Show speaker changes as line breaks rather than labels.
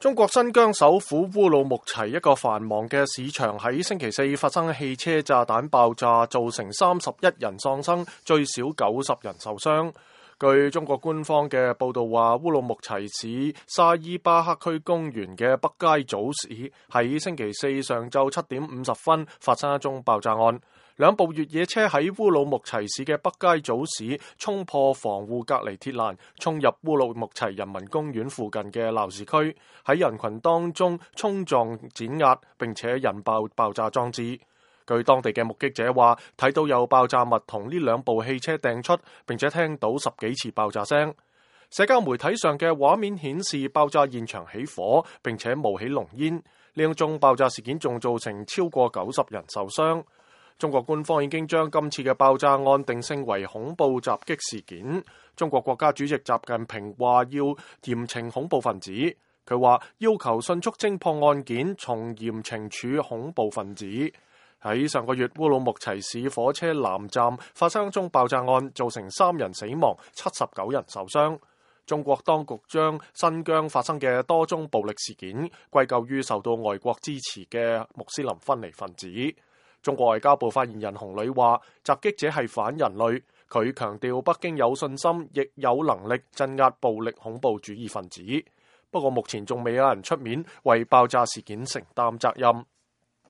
中國新疆首府烏魯木齊一個繁忙嘅市場喺星期四發生汽車炸彈爆炸，造成31人喪生，最少90人受傷。據中國官方嘅報道話，烏魯木齊市沙伊巴克區公園嘅北街早市喺星期四上晝7點50分發生一宗爆炸案。兩部越野車喺烏魯木齊市嘅北街早市衝破防護隔離鐵欄，衝入烏魯木齊人民公園附近嘅鬧市區，喺人群當中衝撞碾壓，並且引爆爆炸裝置。據當地嘅目擊者話，睇到有爆炸物同呢兩部汽車掟出，並且聽到10幾次爆炸聲。社交媒體上嘅畫面顯示爆炸現場起火，並且冒起濃煙。呢宗爆炸事件仲造成超過90人受傷。中國官方已經將今次嘅爆炸案定性為恐怖襲擊事件。中國國家主席習近平話要嚴懲恐怖分子。佢話要求迅速偵破案件，從嚴懲處恐怖分子。喺上個月，烏魯木齊市火車南站發生一宗爆炸案，造成3人死亡、79人受傷。中國當局將新疆發生嘅多宗暴力事件歸咎於受到外國支持嘅穆斯林分離分子。中國外交部發言人洪磊話，襲擊者係反人類。佢強調北京有信心，亦有能力鎮壓暴力恐怖主義分子。不過目前仲未有人出面為爆炸事件承擔責任。